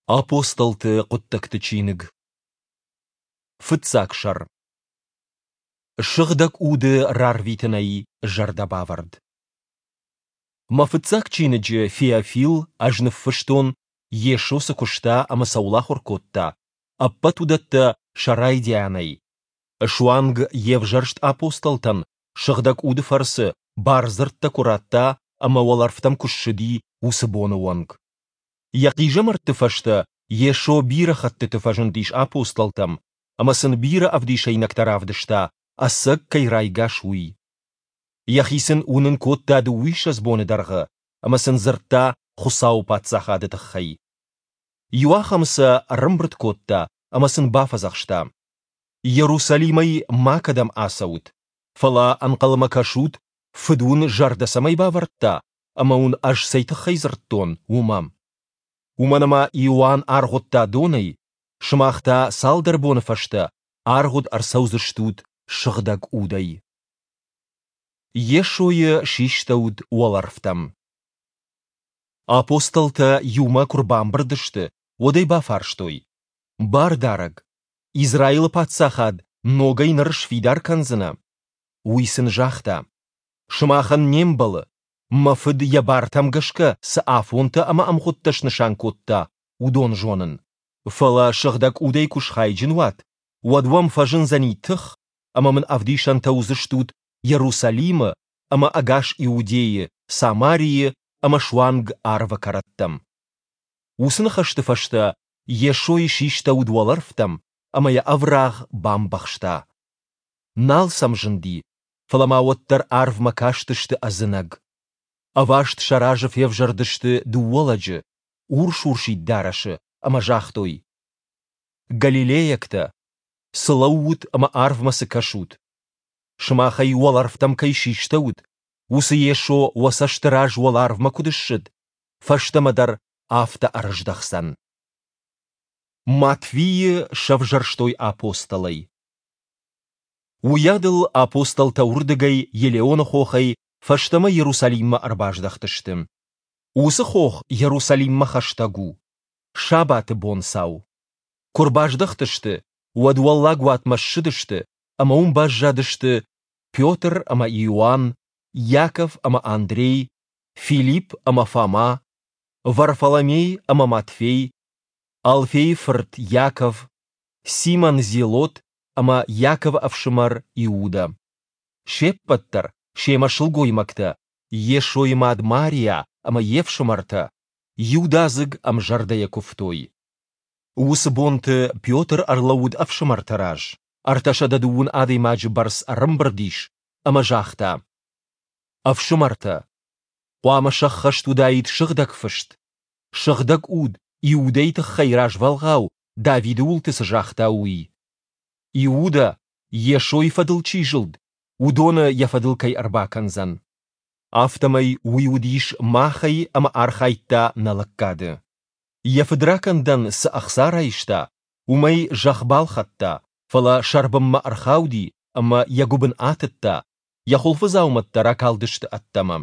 Апостолты хъуыддӕгты чиныг. Фыццаг сӕр. Сыгъдӕг Уды рарвитынӕй зӕрдӕбавӕрд. Мӕ фыццаг чиныджы Феофил ӕз ныффыстон, Йесо цы куыста ӕмӕ цӕуыл ахуыр кодта, ӕппӕт уыдӕттӕ сӕ райдианӕй, суанг йе взӕрст апостолтӕн Сыгъдӕг Уды фӕрцы бардзырдтӕ куы радта ӕмӕ уӕлӕрвтӕм куы ссыди, уыцы боны онг. Йӕ хъизӕмӕртты фӕстӕ Йесо бирӕ хӕттыты фӕзындис апостолтӕм ӕмӕ сын бирӕ ӕвдисӕйнӕгтӕ равдыста, ӕцӕг кӕй райгас, уый. Йӕхи сын уынын кодта дыууиссӕдз боны дӕргъы ӕмӕ сын дзырдта Хуыцауы Паддзахады тыххӕй. Иуахӕмы сӕ ӕрӕмбырд кодта ӕмӕ сын бафӕдзӕхста: Иерусалимӕй макӕдӕм ацӕут, фӕлӕ ӕнхъӕлмӕ кӕсут, Фыд уын зӕрдӕ цӕмӕй бавӕрдта, ӕмӕ уын ӕз цӕй тыххӕй дзырдтон, уымӕ. Уымӕн ӕмӕ Иоанн аргъуыдта донӕй, сымах та цалдӕр боны фӕстӕ аргъуыд ӕрцӕудзыстут Сыгъдӕг Удӕй. Йесойы систӕуыд уӕлӕрвтӕм. Апостолтӕ иумӕ куы рбамбырд сты, уӕд ӕй бафарстой: Бардарӕг, Израилы паддзахад ногӕй ныр сфидар кӕндзынӕ? Уый сын загъта: Сымахӕн не мбӕлы, мӕ Фыд йӕ бартӕм гӕсгӕ цы афонтӕ ӕмӕ ӕмгъуыдтӕ снысан кодта, уыдон зонын. Фӕлӕ Сыгъдӕг Удӕй куы схайджын уат, уӕд уӕм фӕзындзӕни тых, ӕмӕ мын ӕвдисӕнтӕ уыдзыстут Иерусалимы ӕмӕ ӕгас Иудейы, Самарийы ӕмӕ суанг арвы кӕрӕттӕм. Уыцы ныхӕсты фӕстӕ Йесойы систӕуыд уӕлӕрвтӕм ӕмӕ йӕ ӕврагъ бамбӕхста. Нал сӕм зынди, фӕлӕ ма уӕддӕр арвмӕ кастысты ӕдзынӕг. Ӕваст сӕ разы февзӕрдысты дыууӕ лӕджы, урс-урсид дарӕсы, ӕмӕ загътой: Галилейӕгтӕ, цы лӕуут ӕмӕ арвмӕ цы кӕсут? Сымахӕй уӕлӕрвтӕм кӕй систӕуыд, уыцы Йесо уӕ цӕсты раз уӕларвмӕ куыд ссыд, фӕстӕмӕ дӕр афтӕ ӕрыздӕхдзӕн. Матвийы сӕвзӕрстой апостолӕй. Уыйадыл апостолтӕ уырдыгӕй Елеоны хохӕй фӕстӕмӕ Иерусалиммӕ ӕрбаздӕхтысты. Уыцы хох Иерусалиммӕ хӕстӕг у. Сабаты бонцау. Куы рбаздӕхтысты, уӕд уӕллаг уатмӕ ссыдысты ӕмӕ уым баззадысты Петр ӕмӕ Иоанн, Иаков ӕмӕ Андрей, Филипп ӕмӕ Фома, Варфоломей ӕмӕ Матфей, Алфейы фырт Иаков, Симон Зелот ӕмӕ Иаковы ӕфсымӕр Иудӕ. Се ппӕт дӕр, семӕ сылгоймӕгтӕ, Йесойы мад Мариа ӕмӕ йе фсымӕртӕ, иудадзыг ӕмзӕрдӕйӕ куывтой. Уыцы бонты Петр ӕрлӕууыд ӕфсымӕрты раз, 320 адӕймаджы бӕрц ӕрӕмбырд ис, ӕмӕ загъта: Ӕфсымӕртӕ, хъуамӕ сӕххӕст уыдаид Сыгъдӕг Фыст, Сыгъдӕг Уд Иудӕйы тыххӕй развӕлгъау Давиды уылты цы загъта, уый. Иудӕ, Йесойы фӕдыл чи зылд, уыдоны йӕ фӕдыл кӕй ӕрбакӕндзӕн. Афтӕмӕй уый уыдис махӕй ӕмӕ архайдта нӕ лӕггады. Йӕ фыдракӕндӕн цы ӕхца райста, уымӕй зӕхх балхӕдта, фӕлӕ сӕрбынмӕ ӕрхауди ӕмӕ йӕ гуыбын атыдта, йӕ хуылфыдзаумӕттӕ ракалдысты ӕддӕмӕ.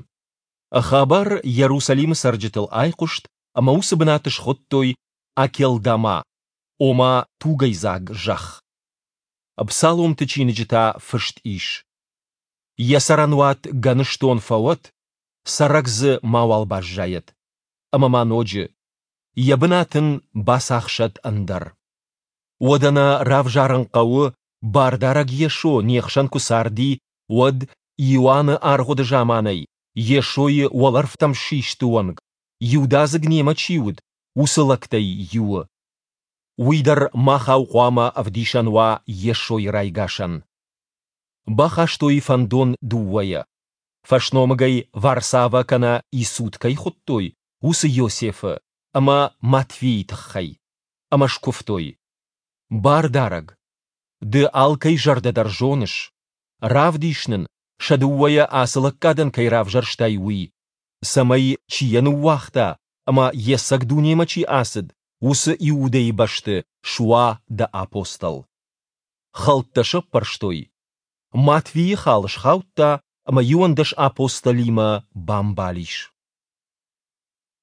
Хабар Иерусалимы цӕрджытыл айхъуыст ӕмӕ уыцы бынат схуыдтой Акелдама, ома тугӕйдзаг зӕхх. Псаломты чиныджы та фыст ис: Йӕ цӕрӕнуат гӕныстон фӕуӕд, цӕрӕг дзы мауал баззайӕд. Ӕмӕ ма ноджы: Йӕ бынат ын бацахсӕд ӕндӕр. Уӕдӕ нӕ равзарын хъӕуы, Бардарӕг Йесо не хсӕн куы царди, уӕд Иоанны аргъуыды заманӕй Йесойы уӕлӕрвтӕм систы онг, иудадзыг немӕ чи уыд, уыцы лӕгтӕй иуы. Уый дӕр махау хъуамӕ ӕвдисӕн уа Йесойы райгасӕн. Бахастой фӕндон дыууӕйӕ. Фӕсномыгӕй Варсава кӕнӕ Исуд кӕй хуыдтой, уыцы Иосифы ӕмӕ Матфийы тыххӕй. Ӕмӕ скуывтой: Бардарӕг, Ды алкӕй зӕрдӕ дӕр зоныс. Равдис нын, сӕ дыууӕйӕ ацы лӕггадӕн кӕй равзӕрстай, уый, цӕмӕй, чи йӕ ныууагъта ӕмӕ йе цӕг дунемӕ чи ацыд, уыцы Иудӕйы бӕсты суа дӕ апостол. Хӕлттӕ сӕппӕрстой. Матвийы хал схаудта ӕмӕ 11 апостолимӕ бамбал ис.